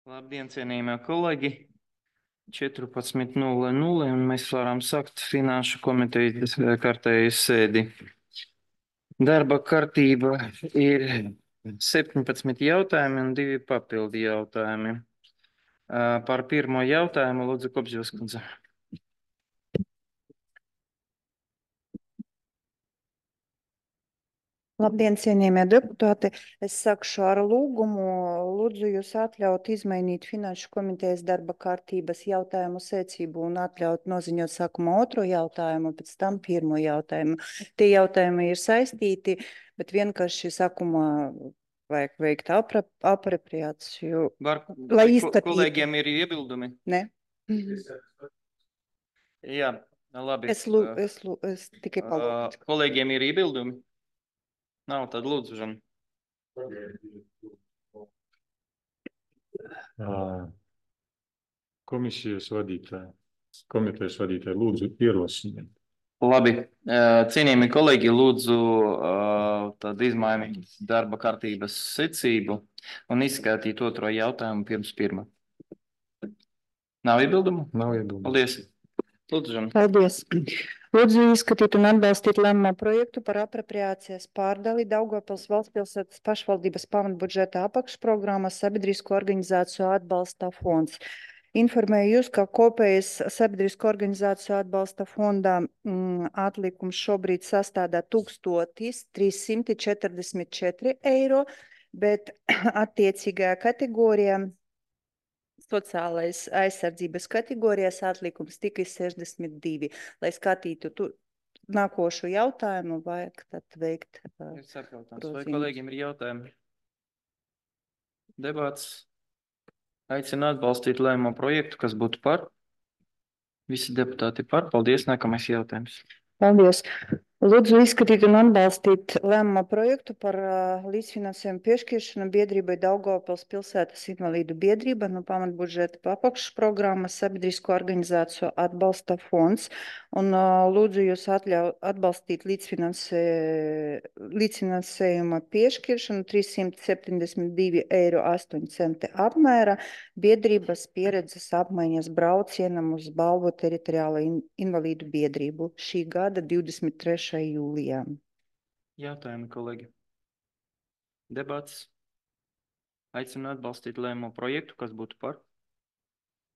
Labdien, cienījamie kolēģi! 14:00 un mēs varam sākt Finanšu komitejas kārtējas sēdi. Darba kārtība ir 17 jautājumi un 2 papildi jautājumi. Par pirmo jautājumu lūdzu Kopževas kundze. Labdien, cienījamie deputāti! Es sākšu ar lūgumu. Lūdzu jūs atļaut izmainīt Finanšu komitejas darba kārtības jautājumu secību un atļaut noziņot sākumā otro jautājumu, pēc tam pirmo jautājumu. Tie jautājumi ir saistīti, bet vienkārši sākumā vajag veikt apropriāciju. Lai izskatītu. Kolēģiem ir iebildumi? Ne? Jā, labi. Es tikai palūdzu. Kolēģiem ir iebildumi? Nav, tad lūdzu, Žan. Komitejas vadītāji, lūdzu ierosiniet. Labi, cienījami kolēģi, lūdzu tad izmainīt darba kārtības secību un izskatīt otro jautājumu pirms pirmā. Nav iebildumu? Nav iebildumu. Paldies. Lūdzu, Žan. Paldies. Lūdzu izskatīt un atbalstīt lēmumu projektu par apropriācijas pārdali Daugavpils valstspilsētas pašvaldības pamatbudžeta apakšprogrammas sabiedrisko organizāciju atbalsta fonds. Informēju jūs, ka kopējais sabiedrisko organizāciju atbalsta fondā atlikums šobrīd sastādā 1344 eiro, bet attiecīgajā kategorijā sociālais aizsardzības kategorijas atlikums tikai 62. Lai skatītu nākošo jautājumu, vajag tad veikt Vai kolēģiem ir jautājumi? Debats. Aicinu atbalstīt lēmumu projektu, kas būtu par. Visi deputāti par. Paldies. Nākamais jautājums. Paldies. Lūdzu izskatīt un atbalstīt lēmuma projektu par līdzfinansējumu piešķiršanu biedrībai Daugavpils pilsētas invalīdu biedrība no pamatbudžeta apakšprogrammas sabiedrisko organizāciju atbalsta fonds. Un lūdzu jūs atbalstīt līdzfinansējuma piešķiršanu 372,08 eiro apmēra biedrības pieredzes apmaiņas braucienam uz Balvu teritoriālo invalīdu biedrību šī gada 23. jūlijā. Jautājumi, kolēģi. Debats. Aicinu atbalstīt lēmumu projektu, kas būtu par.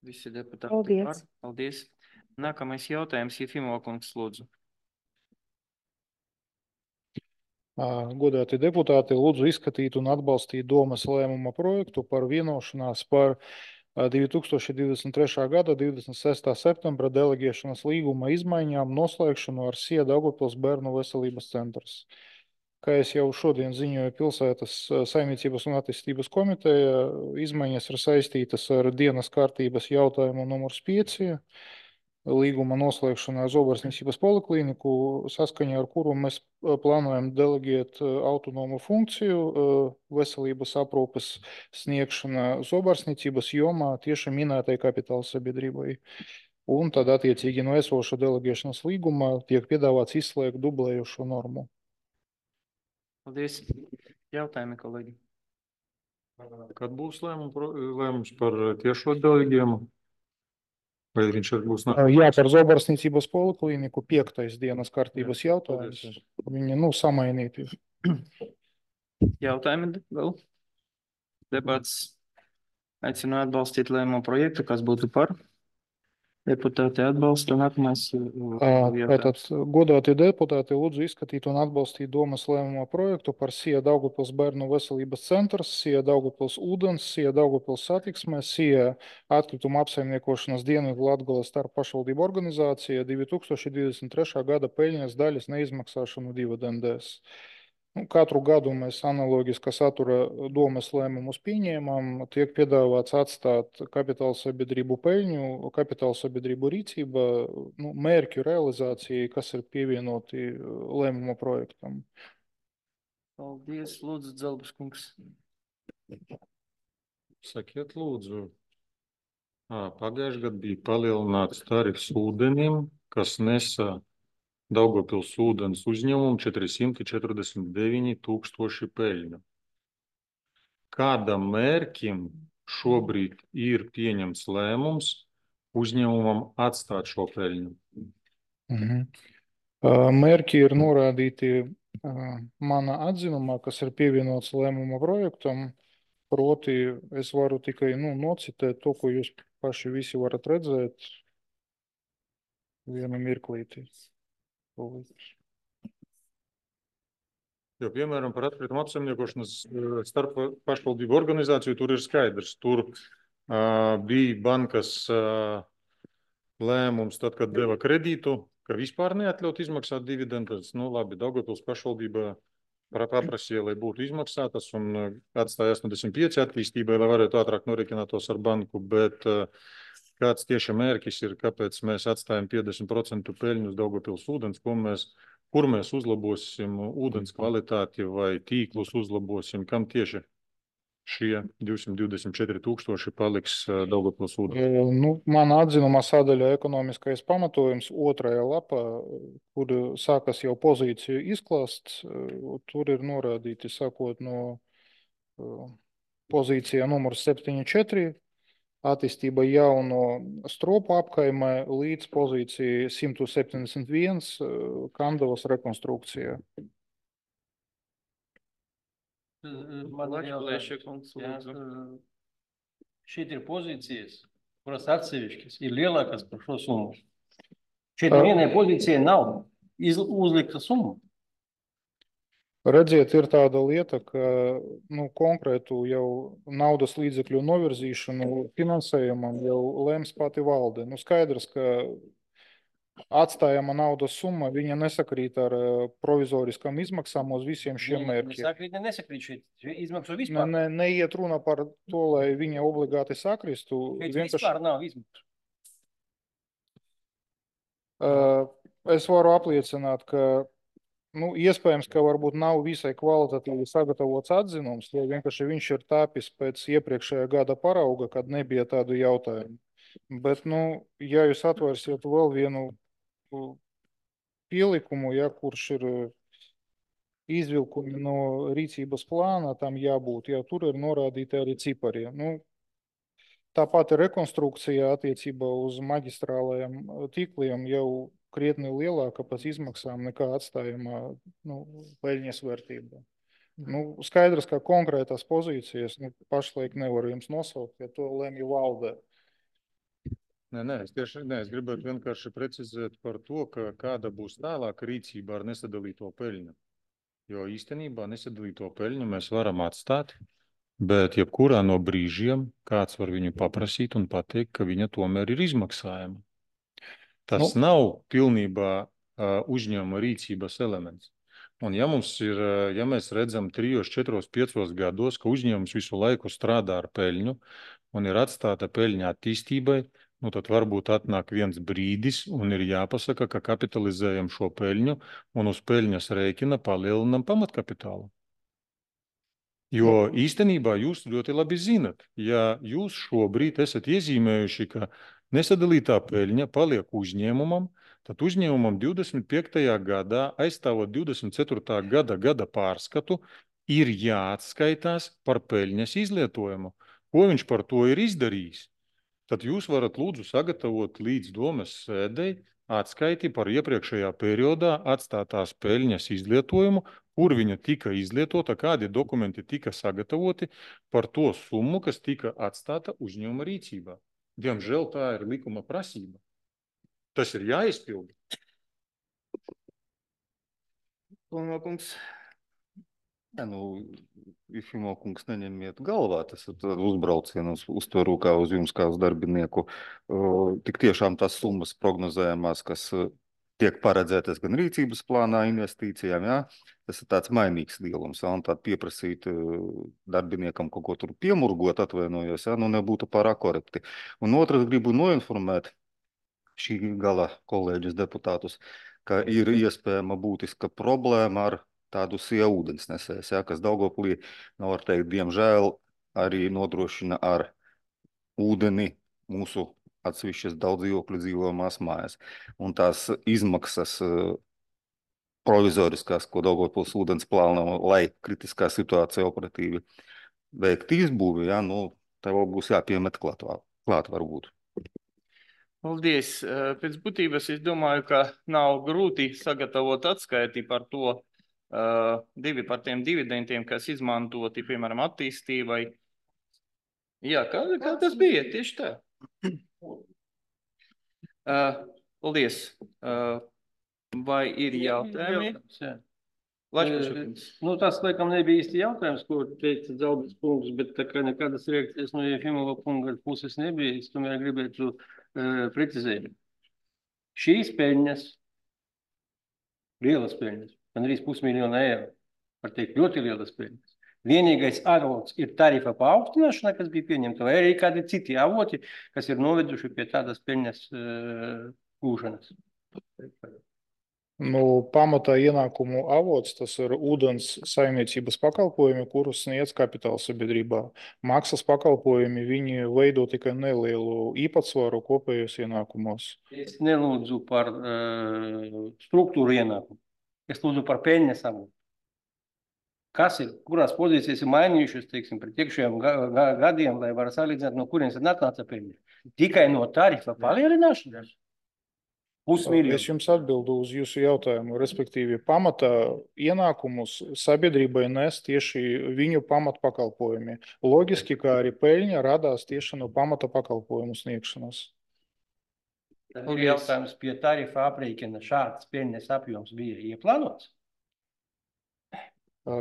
Visi deputāti Paldies. Par. Paldies. Nākamais jautājums, Jefimova kungs, lūdzu. Godāti deputāti, lūdzu izskatīt un atbalstīt domas lēmuma projektu par vienošanās par 2023. gada 26. septembra deleģēšanas līguma izmaiņām noslēgšanu ar SIA Daugavpils bērnu veselības centrs. Kā es jau šodien ziņoju pilsētas saimniecības un attīstības komiteja, izmaiņas ir saistītas ar dienas kārtības jautājumu numurs 5. Līguma noslēgšanā Zobarsniecības poliklīniku, saskaņā ar kuru mēs plānojam deleģēt autonomu funkciju veselības aprūpes sniegšana Zobarsniecības jomā tieši minētai kapitāla sabiedrībai. Un tad attiecīgi no esoša deleģēšanas līguma tiek piedāvāts izslēgt dublējošo normu. Paldies. Jautājumi, kolēģi. Kad būs lēmums par tiešo deleģējumu? Vai viņš arī būs Jā, par Zobarsniecības poliklīniku 5. dienas kārtības jautājums. Viņi, samainīti. Jautājumi vēl? Debats. Aicinu atbalstīt lēmumu projektu, kas būtu par. Deputāti atbalsta. Nākamais jautājums. Godātie deputāti, lūdzu izskatīt un atbalstīt domas lēmuma projektu par SIA Daugavpils bērnu veselības centrs, SIA Daugavpils ūdens, SIA Daugavpils satiksme, SIA atkrituma apsaimniekošanas Dienvidu Latgales starppašvaldību organizācija 2023. gada peļņas daļas neizmaksāšanu dividendēs. Katru gadu mēs analoģiska satura domas lēmumus pieņēmām, tiek piedāvāts atstāt kapitāla sabiedrību peļņu, kapitāla sabiedrību rīcība, mērķu realizācijai, kas ir pievienoti lēmuma projektam. Paldies, lūdzu, Dzelbas kungs. Sakiet, lūdzu. Pagājušajā gadā bija palielināts tarifs ūdenim, kas nesa Daugavpils ūdens uzņēmumu 449 000 peļņu. Kādam mērķim šobrīd ir pieņemts lēmums uzņēmumam atstāt šo peļņu. Mērķi ir norādīti mana atzinumā, kas ir pievienots lēmuma projektam. Proti, es varu tikai nocitēt to, ko jūs paši visi varat redzēt. Vienu mirklīti. Jo, piemēram, par atkritumu apsaimniekošanas starp pašvaldību organizāciju tur ir skaidrs. Tur bija bankas lēmums, tad, kad deva kredītu, ka vispār neatļaut izmaksāt dividendus. Labi, Daugavpils pašvaldība paprasīja, lai būtu izmaksātas un atstāja 85 attīstībai, lai varētu ātrāk norēķinātos ar banku, bet kāds tieši mērķis ir, kāpēc mēs atstājam 50% peļņu uz Daugavpils ūdens, kur mēs uzlabosim ūdens kvalitāti vai tīklus uzlabosim, kam tieši šie 224 000 paliks Daugavpils ūdens? Mana atzinumā sadaļā ekonomiskais pamatojums 2. lapā, kur sākas jau pozīciju izklāsts, tur ir norādīti sākot no pozīcijā numur 74, attīstība jauno stropu apkaimē līdz pozīcijai 171 Kandavas rekonstrukcijā. Šeit ir pozīcijas, kuras atsevišķas ir lielākas par šo summu. Šeit nevienai pozīcijai nav uzlikta summa. Redziet, ir tāda lieta, ka konkrētu jau naudas līdzekļu novirzīšanu finansējumam jau lems pati valde. Skaidrs, ka atstājama naudas summa, viņa nesakrīt ar provizoriskām izmaksām uz visiem šiem mērķiem. Nesakrīt šeit izmaksu vispār. Neiet runa par to, lai viņa obligāti sakristu. Vispār nav izmaksu. Es varu apliecināt, ka iespējams, ka varbūt nav visai kvalitatīvi sagatavots atzinums, jo vienkārši viņš ir tāpis pēc iepriekšējā gada parauga, kad nebija tādu jautājumu. Bet, ja jūs atvērsiet vēl vienu pielikumu, kurš ir izvilkumi no rīcības plāna, tam jābūt, tur ir norādīti arī cipari. Tāpat rekonstrukcija attiecībā uz maģistrālajiem tīkliem jau krietni lielāka pēc izmaksām nekā atstājumā peļņas vērtība. Skaidrs, ka konkrētās pozīcijas pašlaik nevaru jums nosaukt, ja to lemj valdē. Es gribētu vienkārši precizēt par to, ka kāda būs tālāka rīcība ar nesadalīto peļņu. Jo īstenībā nesadalīto peļņu mēs varam atstāt, bet jebkurā no brīžiem kāds var viņu paprasīt un pateikt, ka viņa tomēr ir izmaksājama. Tas nav pilnībā uzņēmuma rīcības elements. Un ja mēs redzam 3, 4, 5 gados, ka uzņēmums visu laiku strādā ar peļņu un ir atstāta peļņa attīstībai, tad varbūt atnāk viens brīdis un ir jāpasaka, ka kapitalizējam šo peļņu un uz peļņas rēķina palielinam pamatkapitālu. Jo īstenībā jūs ļoti labi zinat, ja jūs šobrīd esat iezīmējuši, ka nesadalītā peļņa paliek uzņēmumam, tad uzņēmumam 25. gadā, aizstāvot 24. gada pārskatu, ir jāatskaitās par peļņas izlietojumu. Ko viņš par to ir izdarījis? Tad jūs varat lūdzu sagatavot līdz domes sēdei atskaiti par iepriekšējā periodā atstātās peļņas izlietojumu, kur viņa tika izlietota, kādi dokumenti tika sagatavoti par to summu, kas tika atstāta uzņēmuma rīcībā. Diemžēl tā ir likuma prasība. Tas ir jāizpilda. Kungs, Ifimo kungs, neņemiet galvā, tas ir uzbrauciens uztveru kā uz jums, kā uz darbinieku. Tik tiešām tās summas prognozējamās, kas tiek paredzētas gan rīcības plānā investīcijām, tas ir tāds mainīgs lielums, un tād pieprasīt darbiniekam kaut ko tur piemurgot, atvainojos, nebūtu pārāk korekti. Un otrs gribu noinformēt šī gala kolēģus deputātus, ka ir iespējama būtiska problēma ar tādu ūdensnesējs, kas Daugavpilī, var teikt, diemžēl arī nodrošina ar ūdeni mūsu atsevišķas daudz dzīvokļu dzīvojamās mājas. Un tās izmaksas provizoriskās, ko Daugavpils ūdens plāno, lai kritiskā situācija operatīvi veikt izbūvi, tev būs jāpiemet klāt varbūt. Paldies. Pēc būtības es domāju, ka nav grūti sagatavot atskaiti par to, par tiem dividendiem, kas izmantoti, piemēram, attīstībai. Jā, kā tas bija? Tieši tā. Paldies. Vai ir jautājumi? Nu, tas, laikam, nebija īsti jautājums, ko teica Zalbis kungs, bet tā kā nekādas reakcijas no Jefimova kunga puses nebija, es tomēr gribētu precizēt. Šīs peļņas, lielas peļņas, gandrīz 500 000 eiro, var teikt, ļoti lielas peļņas. Vienīgais avots ir tarifa paaugstināšana, kas bija pieņemta, vai arī kādi citi avoti, kas ir noveduši pie tādas peļņas gūšanas. Nu, pamatā ienākumu avots tas ir ūdens saimniecības pakalpojumi, kurus sniedz kapitāla sabiedrībā. Maksas pakalpojumi, viņi veido tikai nelielu īpatsvaru kopējos ienākumos. Es nelūdzu par struktūru ienākumu. Es lūdzu par peļņas avotu. Kas ir, kurās pozīcijas ir mainījušas, teiksim, pret iekšējiem gadiem, lai var salīdzināt, no kurienes ir atnāca peļņa? Tikai no tarifa palielināšanas? Es jums atbildu uz jūsu jautājumu, respektīvi pamatā ienākumus sabiedrībai nes tieši viņu pamatpakalpojumi. Loģiski, kā arī peļņa radās tieši no pamata pakalpojumu sniegšanas. Tad ir jautājums pie tarifa aprēķina šāds peļņas apjoms bija ieplānots?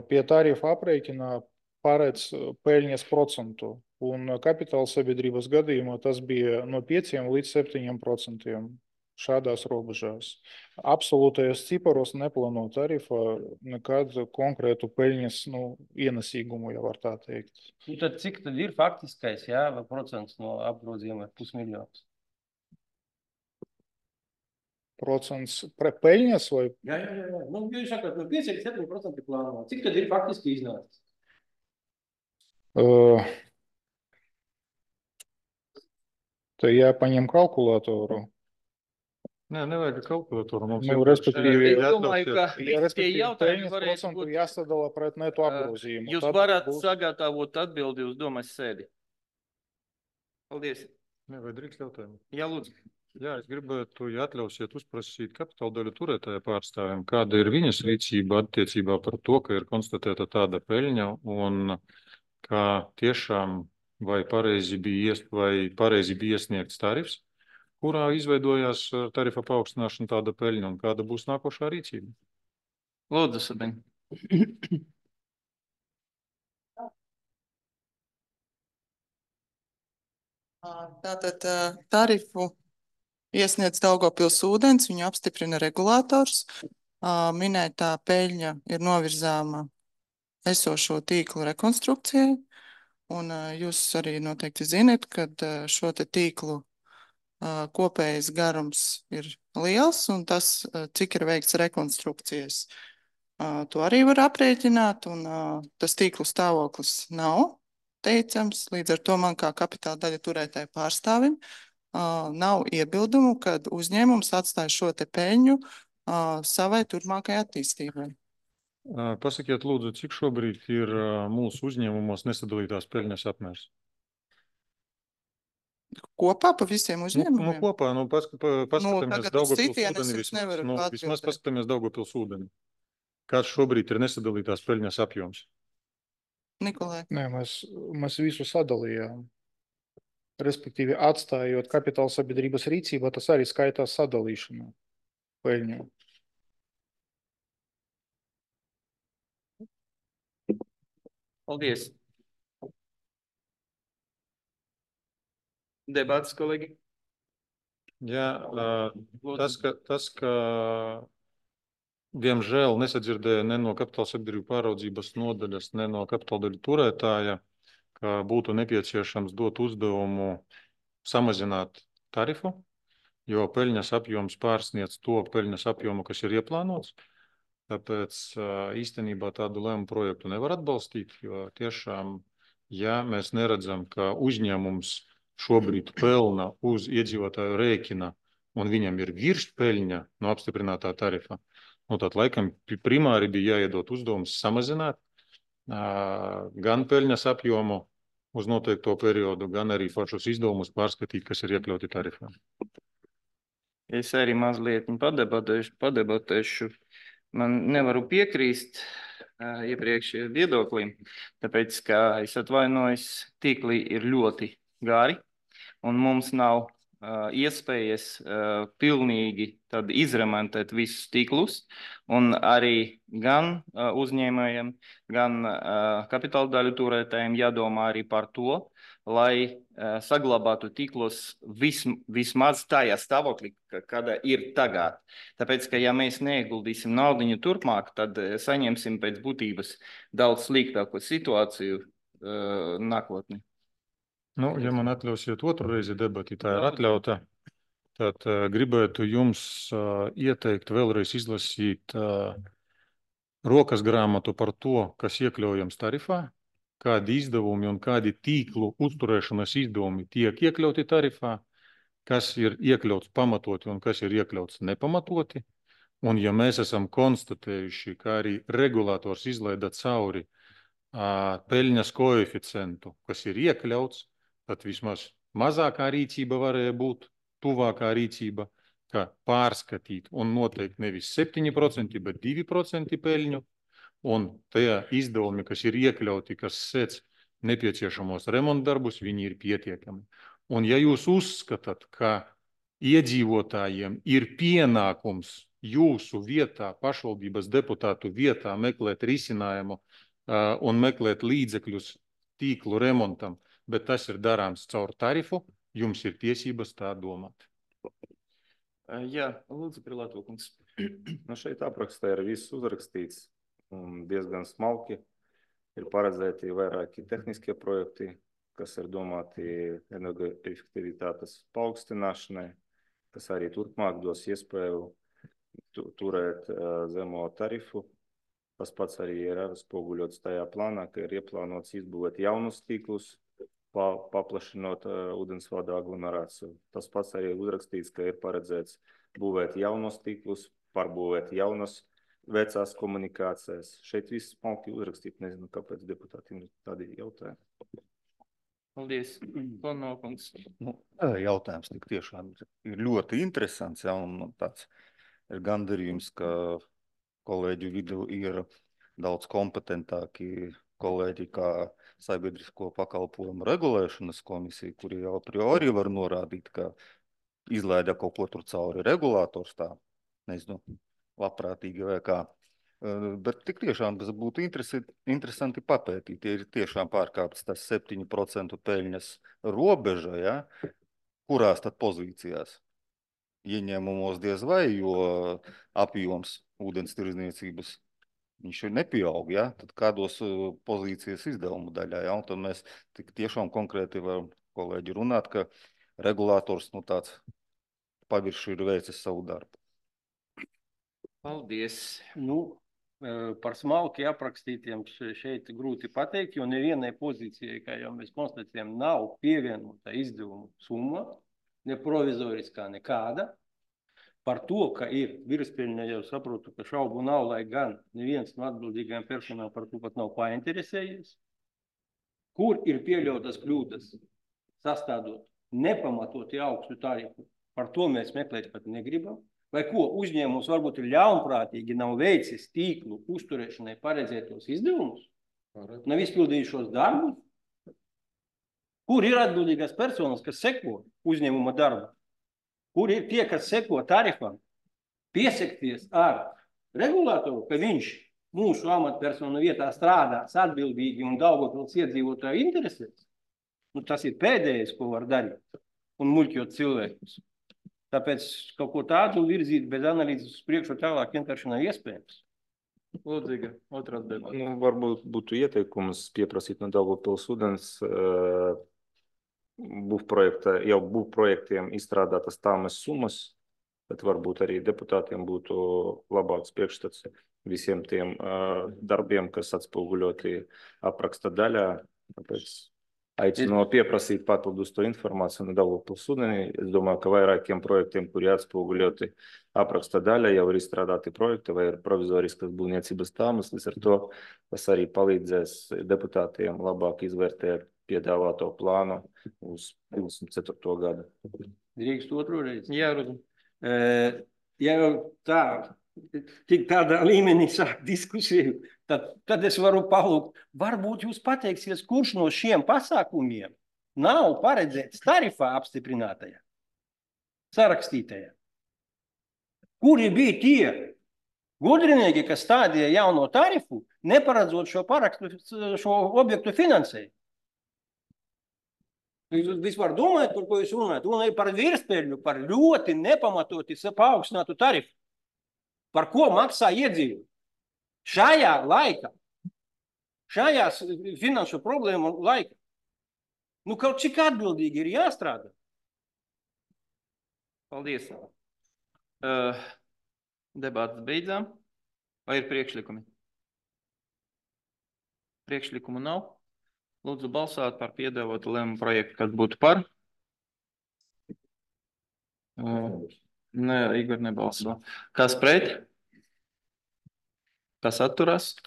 Pie tarifa aprēķina paredz peļņas procentu, un kapitāla sabiedrības gadījumā tas bija no 5 līdz 7%. Šādās robežās. Absolūtajos ciparos neplāno tarifa nekad konkrētu peļņas ienesīgumu, ja var tā teikt. Nu, tad cik tad ir faktiskais, jā, procents no apgrozījuma 500 000? Procents peļņas vai? Jā. Nu, jūs sakat, no 5 līdz 7% plāno. Cik tad ir faktiski iznācis? Te jāpaņem kalkulātoru. Nē, nevajag kalkulatoru. Respektīvi, Es domāju, ka tie jautājumi peļņas varētu procentu būt. jāsadala pret neto apgrozījumu. Jūs varat sagatavot atbildi uz domas sēdi. Paldies. Nē, vai drīkst jautājumu? Jā, lūdzu. Jā, es gribētu, ja atļausiet, uzprasīt kapitāla daļu turētāja pārstāvjiem, kāda ir viņas rīcība attiecībā par to, ka ir konstatēta tāda peļņa un kā tiešām vai pareizi bija iesniegts tarifs, kurā izveidojās tarifa paaugstināšana tāda peļņa un kāda būs nākošā rīcība? Lūdzu, Sabine. Tātad tarifu iesniedz Daugavpils ūdens, viņu apstiprina regulators. Minētā peļņa ir novirzāma esošo tīklu rekonstrukcijai, un jūs arī noteikti zinat, kad šo te tīklu kopējais garums ir liels, un tas, cik ir veikts rekonstrukcijas, to arī var aprēķināt, un tas tīklu stāvoklis nav teicams. Līdz ar to man kā kapitāla daļa turētāju pārstāvim nav iebildumu, kad uzņēmums atstāja šo te peļņu savai turpmākajai attīstībai. Pasakiet, lūdzu, cik šobrīd ir mūsu uzņēmumos nesadalītās peļņas apmērs? Kopā pa visiem uzņēmumiem? Kopā, paskatāmies Daugavpils ūdeni vismaz. Vismaz paskatāmies Daugavpils ūdeni. Kāds šobrīd ir nesadalītās peļņas apjoms? Nikolai. Nē, mēs visu sadalījām. Respektīvi, atstājot kapitāla sabiedrības rīcībā, tas arī skaitās sadalīšana peļņu. Paldies. Debats, kolēģi? Jā, tas, ka diemžēl nesadzirdēja ne no kapitāla sabiedrību pāraudzības nodaļas, ne no kapitāla daļu turētāja, ka būtu nepieciešams dot uzdevumu samazināt tarifu, jo peļņas apjoms pārsniedz to peļņas apjomu, kas ir ieplānots. Tāpēc īstenībā tādu lēmumu projektu nevar atbalstīt, jo tiešām, ja mēs neredzam, ka uzņēmums šobrīd pelna uz iedzīvotāju rēķina un viņam ir virspeļņa no apstiprinātā tarifa, tad laikam primāri bija jāiedot uzdevums samazināt gan peļņas apjomu, uz noteikto periodu, gan arī pašus izdevumus pārskatīt, kas ir iekļauti tarifā. Es arī mazliet padebatēšu. Man nevaru piekrīst iepriekšējiem viedoklim, tāpēc, ka es atvainojos, tīkli ir ļoti gari, un mums nav iespējas pilnīgi tad izremontēt visus tīklus, un arī gan uzņēmējiem, gan kapitāla daļu turētājiem jādomā arī par to, lai saglabātu tīklos vismaz tajā stāvoklī, kāda ir tagad. Tāpēc, ka ja mēs neieguldīsim naudiņu turpmāk, tad saņemsim pēc būtības daudz sliktāku situāciju nākotnē. Nu, ja man atļausiet otru reizi debati, tā ir atļauta, tad gribētu jums ieteikt vēlreiz izlasīt rokas grāmatu par to, kas iekļaujams tarifā, kādi izdevumi un kādi tīklu uzturēšanas izdevumi tiek iekļauti tarifā, kas ir iekļauts pamatoti un kas ir iekļauts nepamatoti. Un ja mēs esam konstatējuši, ka arī regulators izlaida cauri peļņas koeficientu, kas ir iekļauts, tad vismaz mazākā rīcība varēja būt tuvākā rīcība, ka pārskatīt un noteikt nevis 7%, bet 2% peļņu, un tie izdevumi, kas ir iekļauti, kas sēc nepieciešamos remontdarbus, viņi ir pietiekami. Un ja jūs uzskatāt, ka iedzīvotājiem ir pienākums jūsu vietā, pašvaldības deputātu vietā meklēt risinājumu un meklēt līdzekļus tīklu remontam, bet tas ir darāms caur tarifu, jums ir tiesības tā domāt. Jā, lūdzu, Prilāto kungs. Nu, šeit aprakstā ir viss uzrakstīts un diezgan smalki. Ir paredzēti vairāki tehniskie projekti, kas ir domāti energoefektivitātes paaugstināšanai, kas arī turpmāk dos iespēju turēt zemo tarifu. Tas pats arī ir atspoguļots tajā plānā, ka ir ieplānots izbūvēt jaunus tīklus, paplašinot ūdensvada aglomerāciju. Tas pats arī uzrakstīts, ka ir paredzēts būvēt jaunos tīklus, pārbūvēt jaunas vecās komunikācijas. Šeit viss smalki uzrakstīt, nezinu, kāpēc deputātiem ir tādi jautājumi. Paldies, Konnokungs. Nu, jautājums tik tiešām ir ļoti interesants, ja, un tāds ir gandarījums, ka kolēģu vidu ir daudz kompetentāki kolēģi kā sabiedrisko pakalpojumu regulēšanas komisija, kuri jau a priori var norādīt, ka izlaida kaut ko tur cauri regulators tā, nezinu, labprātīgi vai kā. Bet tik tiešām tas būtu interesanti papētīt, ja ir tiešām pārkāpts tas 7% peļņas robeža, ja, kurās tad pozīcijās? Ieņēmumos diez vai, jo apjoms ūdens tirdzniecības viņš ir nepieaug, ja? Tad kādos pozīcijas izdevumu daļā, ja? Un tad mēs tik tiešām konkrēti varam kolēģi runāt, ka regulators tāds pavirši ir veicis savu darbu. Paldies. Nu, par smalki aprakstītiem šeit grūti pateikt, jo nevienai pozīcijai, kā jau mēs konstatējam, nav pievienota izdevumu summa, ne provizoriskā nekāda. Par to, ka ir virspeļņa, jau saprotu, ka šaubu nav, lai gan neviens no atbildīgajiem personām par to pat nav painteresējies. Kur ir pieļautas kļūdas, sastādot nepamatoti augstu tarifu, par to mēs meklēt pat negribam. Vai ko uzņēmums varbūt ir ļaunprātīgi nav veicis tīklu uzturēšanai paredzētos izdevumus? Nav izpildījušos darbus? Kur ir atbildīgās personas, kas seko uzņēmuma darbu? Kur ir tie, kas seko tarifam, piesekties ar regulātoru, ka viņš mūsu amatpersonu vietā strādās atbildīgi un Daugavpils iedzīvotāju interesēs? Nu, tas ir pēdējais, ko var darīt un muļķot cilvēkus. Tāpēc kaut ko tādu virzīt bez analīzes uz priekšu tālāk vienkārši nav iespējams. Lūdzīga, otrā debata. Nu, varbūt būtu ieteikums pieprasīt no Daugavpils ūdens būvprojektiem izstrādātas tāmas summas, bet varbūt arī deputātiem būtu labāks priekšstats visiem tiem darbiem, kas atspoguļoti apraksta daļā. Tāpēc Aicinu pieprasīt papildus to informāciju no Daugavpils ūdenī. Es domāju, ka vairākiem projektiem, kuri atspoguļoti apraksta daļa, jau ir izstrādāti projekti vai ir provizoriskas būvniecības tāmas. Līdz ar to tas arī palīdzēs deputātiem labāk izvērtēt piedāvāto plānu uz 24. gadu. Drīkst otru reizi. Jā, Rudolf. Ja jau tā, tik tādā līmenī sāk diskusiju, tad es varu palūgt, varbūt jūs pateiksies, kurš no šiem pasākumiem nav paredzēts tarifā apstiprinātajā, sarakstītajā. Kuri bija tie gudrinieki, kas stādīja jauno tarifu, neparedzot šo objektu finansējumu? Jūs vispār domājat, par ko jūs runājat? Runājat par virspēļu, par ļoti nepamatoti paaugstinātu tarifu. Par ko maksā iedzīvotāji? Šajā laikā, šajā finanšu problēmu laikā, nu kaut cik atbildīgi ir jāstrādā. Paldies. Debātas beidzām. Vai ir priekšlikumi? Priekšlikumu nav. Lūdzu balsot par piedāvātu lēmumu projektu, kas būtu par. Nē, Igor nebalso. Kas pret? Kas atturās?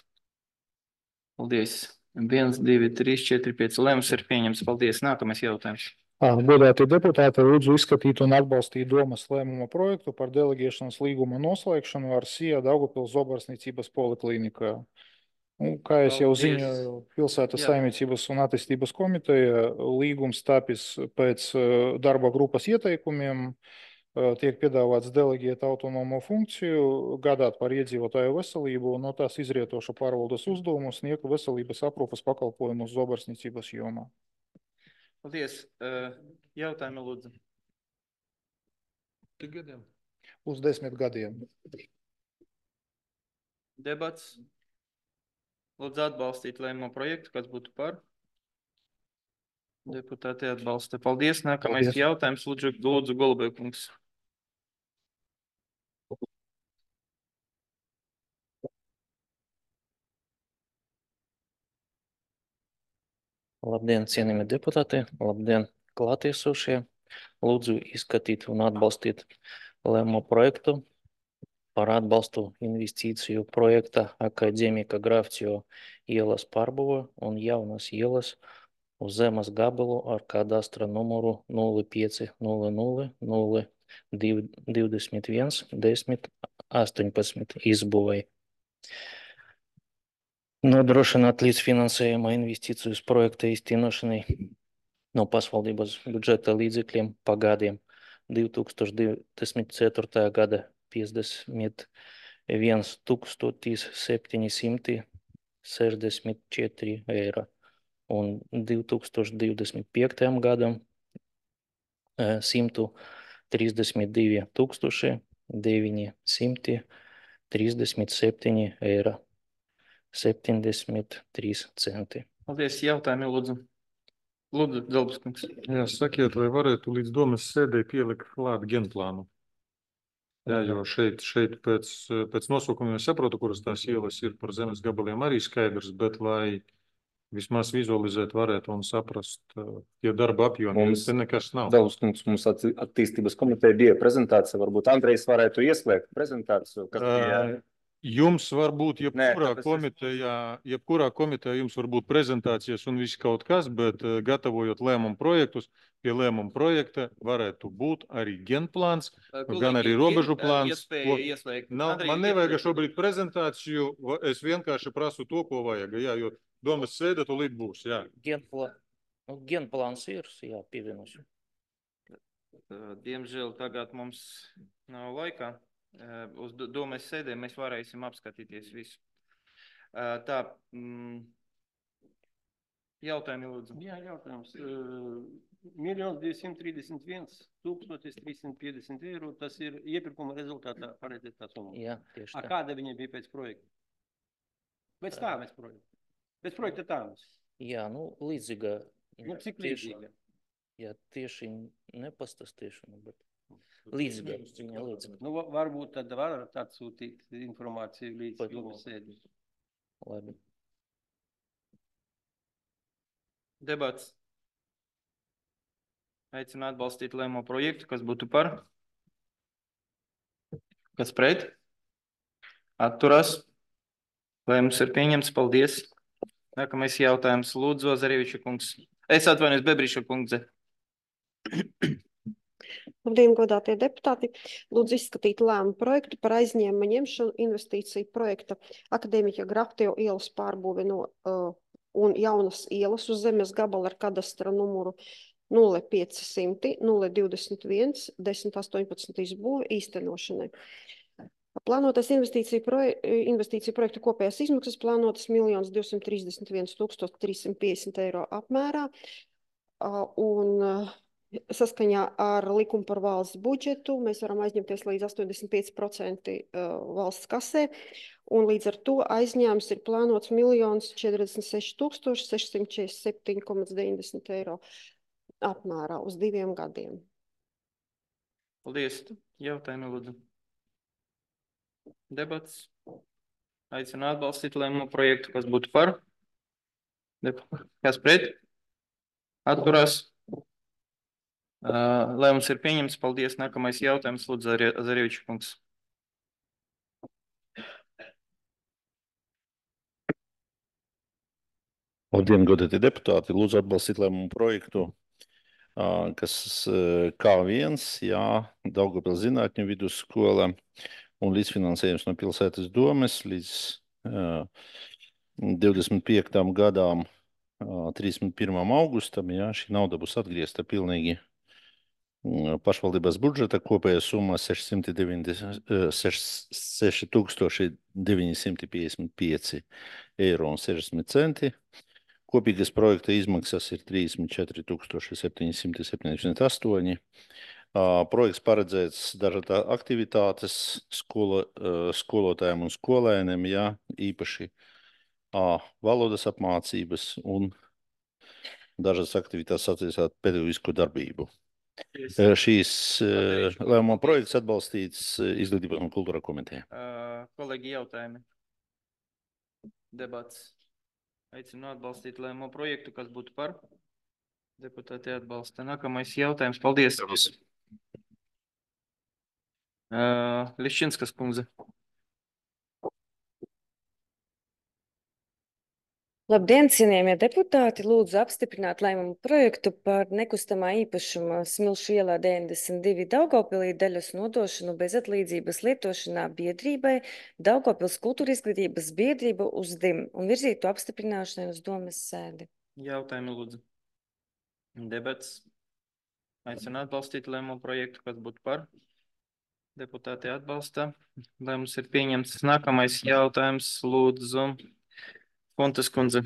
Paldies. 1, 2, 3, 4, 5. Lēmums ir pieņems. Paldies. Nākamais jautājums. Godātie deputāti, lūdzu izskatīt un atbalstīt domas lēmuma projektu par deleģēšanas līguma noslēgšanu ar SIA Daugavpils Zobarsniecības poliklīnikā. Kā es jau ziņoju, Pilsētas saimniecības un attīstības komiteja līgums tapis pēc darba grupas ieteikumiem, tiek piedāvāts deleģēt autonomo funkciju, gādāt par iedzīvotāju veselību un no tās izrietošu pārvaldes uzdevumu sniegt veselības aprūpes pakalpojumus zobarsniecības jomā. Paldies. Jautājumi lūdzu. Tik gadiem? Uz 10 gadiem. Debats. Lūdzu atbalstīt lēmumu projektu, kas būtu par. Deputāti atbalsta. Paldies. Nākamais jautājums. Lūdzu Golubēkungs. Labdien, cienījamie deputāti, labdien, klātiesošie. Lūdzu izskatīt un atbalstīt lēmumu projektu par atbalstu investīciju projekta Akadēmika Grafcio ielas pārbūve un jaunas ielas uz zemes gabalu ar kadastra numuru 0500 021 10 18 izbūvei. Nodrošināt līdzfinansējuma investīcijas projekta īstenošanai no pašvaldības budžeta līdzekļiem pagadiem 2024. gada 51 764 eiro un 2025. gadam 132 937 eiro. 73 centi. Paldies. Jautājumi lūdzu. Lūdzu, Zelbskungs. Jā, sakiet, vai varētu līdz domas sēdē pielikt klāt genplānu? Jā, jo šeit pēc nosaukumiem es saprotu, kuras tās ielas ir par zemes gabaliem arī skaidrs, bet lai vismaz vizualizēt varētu un saprast, ja darba apjomi, te nekas nav. Zelbskungs, mums attīstības komiteja bija prezentācija, varbūt Andrejs varētu ieslēgt prezentāciju, kas bija... Jums var būt jebkurā komitejā jums var būt prezentācijas un viss kaut kas, bet gatavojot lēmumu projektus, pie lēmumu projekta varētu būt arī genplāns, gan arī robežu plāns. Man nevajag šobrīd prezentāciju, es vienkārši prasu to, ko vajag, jā, jo domas sēde tūlīt būs, jā. Genplāns ir, jā, pievienošu. Diemžēl tagad mums nav laikā. Uz domas sēdē mēs varēsim apskatīties visu. Tā, jautājumi lūdzu. Jā, jautājums. 1 231 350 eiro, tas ir iepirkuma rezultātā paredzētā summa. Jā, tieši tā. Kāda viņa bija pēc projekta? Pēc tāmes projekta. Pēc projekta tāmes. Jā, nu, līdzīga. Nu, cik līdzīga? Jā, tieši nepastāstīšu, bet līdzīga. Nu, varbūt tad varat atsūtīt informāciju līdz domas sēdē. Labi. Debats. Aicinu atbalstīt lēmumu projektu, kas būtu par. Kas pret? Atturās. Lēmums ir pieņemts. Paldies. Nākamais jautājums. Lūdzu, Zareviča kungs. Es atvainojos, Bebriša kundze. Labdien, godātie deputāti! Lūdzu izskatīt lēmumu projektu par aizņēmuma ņemšanu investīciju projekta Akadēmiķa Graftejo ielas pārbūve un jaunas ielas uz zemes gabala ar kadastra numuru 0500 021 1018 izbūve īstenošanai. Plānotais investīciju projekta kopējās izmaksas plānotas 1 231 350 eiro apmērā un saskaņā ar likumu par valsts budžetu mēs varam aizņemties līdz 85% valsts kasē, un līdz ar to aizņēmums ir plānots 1 046 647,90 eiro apmērā uz 2 gadiem. Paldies. Jautājumi, lūdzu. Debats. Aicinu atbalstīt lēmumu projektu, kas būtu par. Kas pret? Atturās. Lēmums ir pieņemts. Paldies. Nākamais jautājums, lūdzu, Zareviča kungs. Labdien, godātie deputāti! Lūdzu atbalstīt lēmumu projektu, kas K1, Daugavpils zinātņu vidusskola un līdzfinansējums no pilsētas domes līdz 25. gadām 31. augustam. Šī nauda būs atgriezta pilnīgi pašvaldības budžeta, kopējā summa 6,955 eiro un 60 centi. Kopīgas projekta izmaksas ir 34 778. Projekts paredzēts dažādas aktivitātes skolotājiem un skolēniem, īpaši valodas apmācības un dažādas aktivitātes attiecībā pedagoģisko darbību. Šīs lēmuma projekts atbalstīts Izglītības un kultūra komitejā. Kolēģi, jautājumi. Debats. Aicinu atbalstīt lēmumu projektu, kas būtu par. Deputāti atbalsta. Nākamais jautājums. Paldies. Liščinskas kundze. Labdien, cienījamie deputāti! Lūdzu apstiprināt lēmumu projektu par nekustamā īpašuma Smilšu ielā 92 Daugavpilī daļas nodošanu bez atlīdzības lietošanā biedrībai Daugavpils kultūra izglītības biedrība uz DIM un virzītu apstiprināšanai uz domes sēdi. Jautājumi, lūdzu. Debats. Aicinu atbalstīt lēmumu projektu, kas būtu par. Deputāti atbalsta. Lēmums ir pieņemts. Nākamais jautājums, lūdzu. Fontes kundze.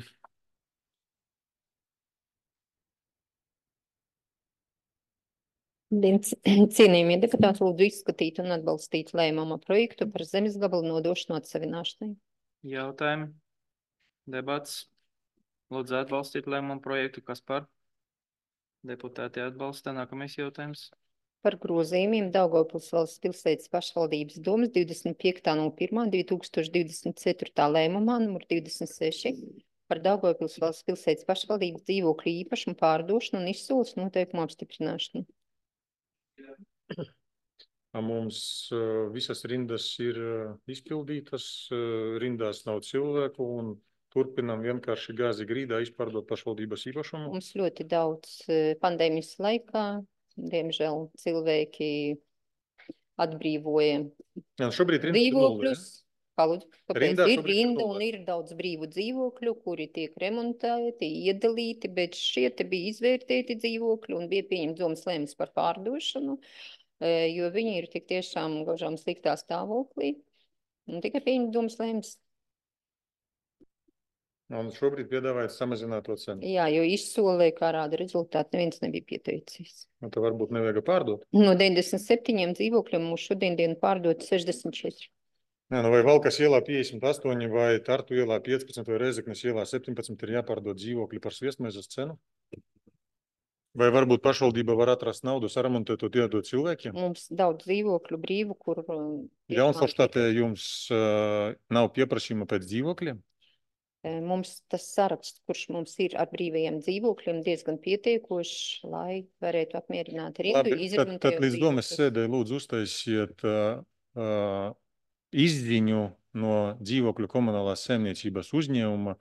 Cienījamie deputāti, lūdzu izskatīt un atbalstīt lēmuma projektu par zemes gabalu nodošanu atsavināšanai. Jautājumi. Debats. Lūdzu atbalstīt lēmumu projektu, kas par. Deputāti atbalsta. Nākamais jautājums. Par grozījumiem Daugavpils valsts pilsētas pašvaldības domas 25.01.2024. lēmumā numur 26 par Daugavpils valsts pilsētas pašvaldības dzīvokļu īpašumu pārdošanu un izsoles noteikumu apstiprināšanu. Mums visas rindas ir izpildītas, rindās nav cilvēku un turpinām vienkārši gāzi grīdā izpārdot pašvaldības īpašumu. Mums ļoti daudz pandēmijas laikā. Diemžēl cilvēki atbrīvoja dzīvokļus. Kāpēc ir rinda un ir daudz brīvu dzīvokļu, kuri tiek remontēti, iedalīti, bet šie te bija izvērtēti dzīvokļi un bija pieņemts domas lēmums par pārdošanu, jo viņi ir tik tiešām gaužām sliktā stāvoklī un tikai pieņemts domas lēmums. Un šobrīd piedāvājat samazināt to cenu. Jā, jo izsolē, kā rāda rezultāti, neviens nebija pieteicies. Un tad varbūt nevajag pārdot? No 97 dzīvokļiem mums šodien pārdot 64. Vai Valkas ielā 58, vai Tartu ielā 15, vai Rēzeknes ielā 17 ir jāpārdod dzīvokļi par sviestmaizes cenu? Vai varbūt pašvaldība var atrast naudu, saremontēt to iedot cilvēkiem? Mums daudz dzīvokļu brīvu, kur... Jaunforštatē jums nav pieprasījuma pēc dzīvokļiem? Mums tas saraksts, kurš mums ir ar brīvajiem dzīvokļiem, diezgan pietiekošs, lai varētu apmierināt rindu, Labi, tad līdz domas sēdē lūdzu uztaisiet izziņu no dzīvokļu komunālās saimniecības uzņēmuma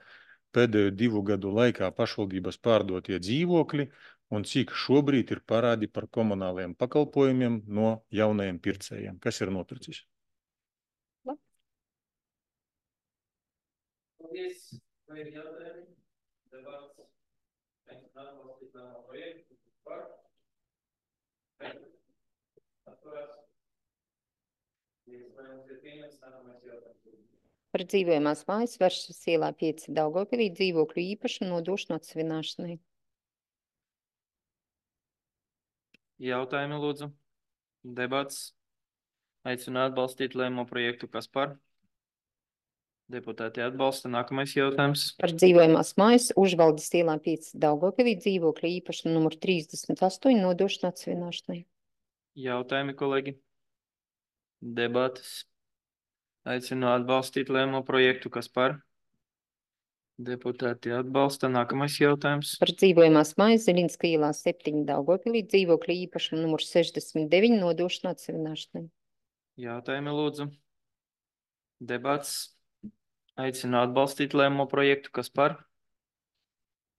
pēdējo 2 gadu laikā pašvaldības pārdotie dzīvokļi un cik šobrīd ir parādi par komunālajiem pakalpojumiem no jaunajiem pircējiem. Kas ir noticis? Paldies, vai ir jautājumi? Debats. Atbalstīt lēmumu projektu par. Atturās. Lēmums ir pieņemts, nākamais jautājums. Par dzīvojamās mājas Varšavas ielā 5 Daugavpilī dzīvokļu īpašumu nodošanu atsevināšanai. Jautājumi lūdzu. Debats. Aicinu atbalstīt lēmumu projektu. Kas par? Deputāti atbalsta. Nākamais jautājums. Par dzīvojamās mājas Užvaldes ielā 5 Daugavpilī dzīvokļu īpašumu numur 38 nodošanu atsevināšanai. Jautājumi, kolēģi. Debatas. Aicinu atbalstīt lēmumu projektu. Kas par? Deputāti atbalsta. Nākamais jautājums. Par dzīvojamās mājas Ziļinska ielā 7 Daugavpilī dzīvokļu īpašumu numur 69 nodošanu atsevināšanai. Jautājumi lūdzu. Debats. Aicinu atbalstīt lēmumu projektu. Kas par?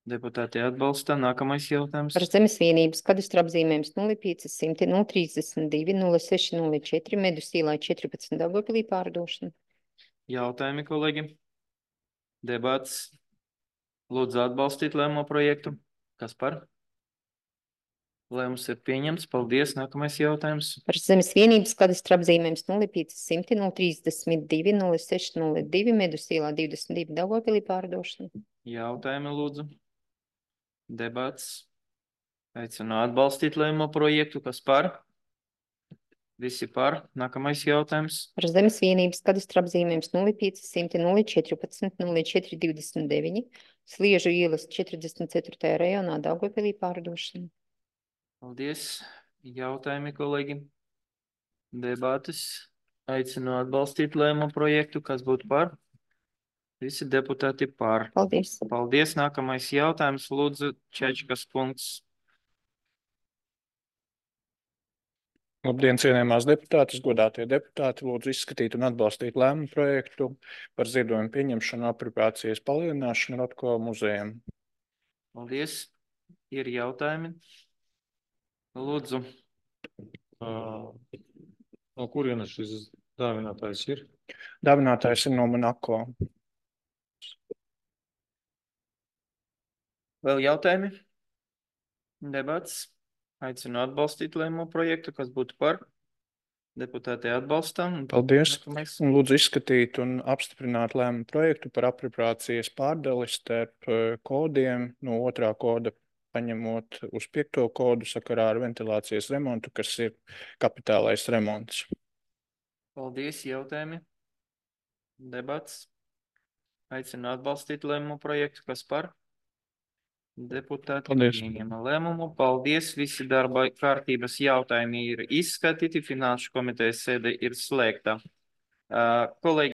Deputāti atbalsta. Nākamais jautājums. Par zemes vienības kadastra apzīmējums 0500 032 0604 Medus ielā 14 Daugavpilī pārdošana. Jautājumi, kolēģi. Debats. Lūdzu atbalstīt lēmumu projektu. Kas par? Lēmums ir pieņemts. Paldies. Nākamais jautājums. Par zemes vienības kadastra apzīmējums 0500 032 0602 Medus ielā 22 Daugavpilī pārdošana. Jautājumi lūdzu. Debats. Aicinu atbalstīt lēmumu projektu. Kas par? Visi par. Nākamais jautājums. Par zemes vienības kadastra apzīmējums 0500 014 0429 Sliežu ielas 44. rajonā Daugavpilī pārdošana. Paldies. Jautājumi, kolēģi. Debates. Aicinu atbalstīt lēmumu projektu. Kas būtu par? Visi deputāti par. Paldies. Paldies. Nākamais jautājums. Lūdzu, Čečkas punkts. Labdien, cienījamās deputātes, godātie deputāti, lūdzu izskatīt un atbalstīt lēmumu projektu par ziedojumu pieņemšanu apropriācijas palielināšanu Rotko muzejam. Paldies. Ir jautājumi? Lūdzu. No kurienes šis dāvinātājs ir? Dāvinātājs ir no Monako. Vēl jautājumi? Debats. Aicinu atbalstīt lēmumu projektu. Kas būtu par? Deputāti atbalsta. Paldies. Nākamais. Un lūdzu izskatīt un apstiprināt lēmumu projektu par apropriācijas pārdali starp kodiem no 2. koda paņemot uz 5. kodu sakarā ar ventilācijas remontu, kas ir kapitālais remonts. Paldies. Jautājumi? Debats. Aicinu atbalstīt lēmumu projektu. Kas par? Deputāti pieņēma lēmumu. Paldies. Visi darba kārtības jautājumi ir izskatīti. Finanšu komitejas sēde ir slēgta. Kolēģi.